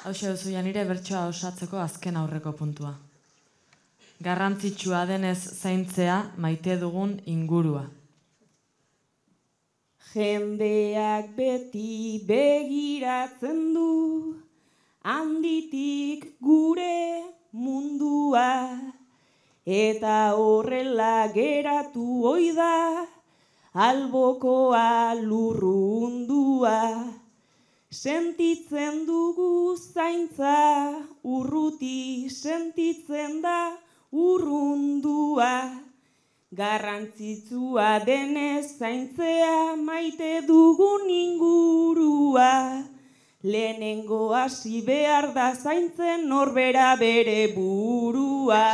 Hauxe duzu nire bertsoa osatzeko azken aurreko puntua. Garrantzitsua denez zaintzea maite dugun ingurua. Jendeak beti begiratzen du, handitik gure mundua, eta horrela geratu ohi da, albokoa lurrundua. Sentitzen dugu zaintza, urruti sentitzen da urrundua. Garrantzitsua denez zaintzea maite dugun ingurua. Lehenengo hasi behar da zaintzen norbera bere burua.